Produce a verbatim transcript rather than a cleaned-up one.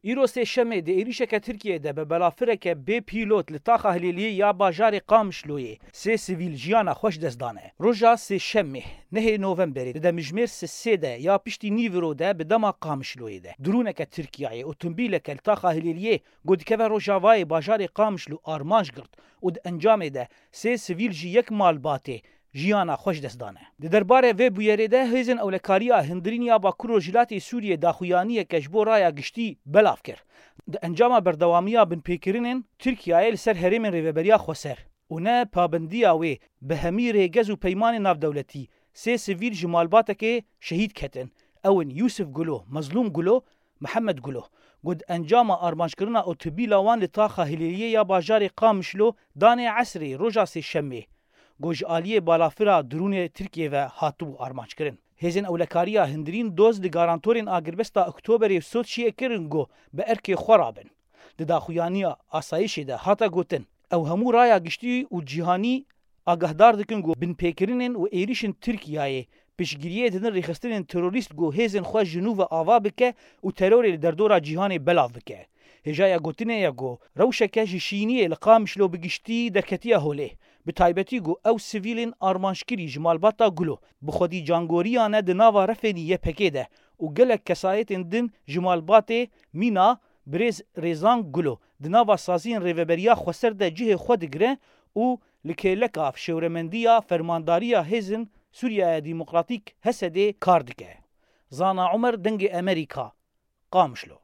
Îro sêşemê di êrîşeke Tirkiyeyê de bi balafireke bê pîlot li taxa Hilêliyê ya bajarê Qamişloyê sê sivîl jiyana xwe ji dest dane. Roja sêşemê, nehê Novemberê, di demjimêr sisê de ya piştî nîviro de bi dema Qamişloyê de, drûneke Tirkiyeyê otomobîleke li taxa Hilêliyê ku dikeve rojavayê bajarê Qamişlo armanc girt û di encamê de sê sivîl jî yek malbatê jiyana xwe ji dest dane. Di derbarê vê bûyerê de hêzên ewlekariya hundirîn ya Bakur Rojhilatê Sûriyê daxuyaniyeke ji bo raya giştî belav kir. Di encama berdewamiya binpêkirinên Tirkiyeyê li ser herêmên Rêveberiya Xweser û ne pabendiya wê bi hemî rêgez û peymanên navdewletî, sê sivîl ji malbatekê şehîd ketin. Ew in Yûsif Gulo, Mezlûm Gulo, Mihemed Gulo, ku di encama armanckirina otobîla wan li taxa Hilêliyê ya bajarê Qamişlo danê esrê roja sêşemê, ku ji aliyê balafira drûnê Tirkiyê ve hatibû armanckirin. Hêzên ewlekariya hundirîn doz li garantorên agirbesta Oktoberê Soçiyê kirin ku bi erkê xwe rabin. Di daxuyaniya asayişê de hate gotin, ew hemû raya giştî û cîhanî agahdar dikin ku binpêkirinên û êrîşên Tirkiyeyê piştgiriyê didin rêxistinên terorîst ku hêzên xwe ji nû ve ava bike û terorê li derdora cîhanê belav bike. Hêjaya gotinê ye ku rewşeke ji şîniyê li Qamişlo bi giştî derketiye holê. Bi taybetî ku ew sivîlên armanckirî ji malbata Gulo bi xwedî cangoriyan e di nava refênî Y P G de û gelek kesayetên din ji malbatê mîna birêz Rêzan Gulo di nava saziyên Rêveberiya Xweser de cihê xwe digire û li kêleka şêwremendiya fermandariya hêzên Sûriyeya Demokratîk, H S D'ê, kar dike. Zana Umer, Dengê Emerîka, Qamişlo.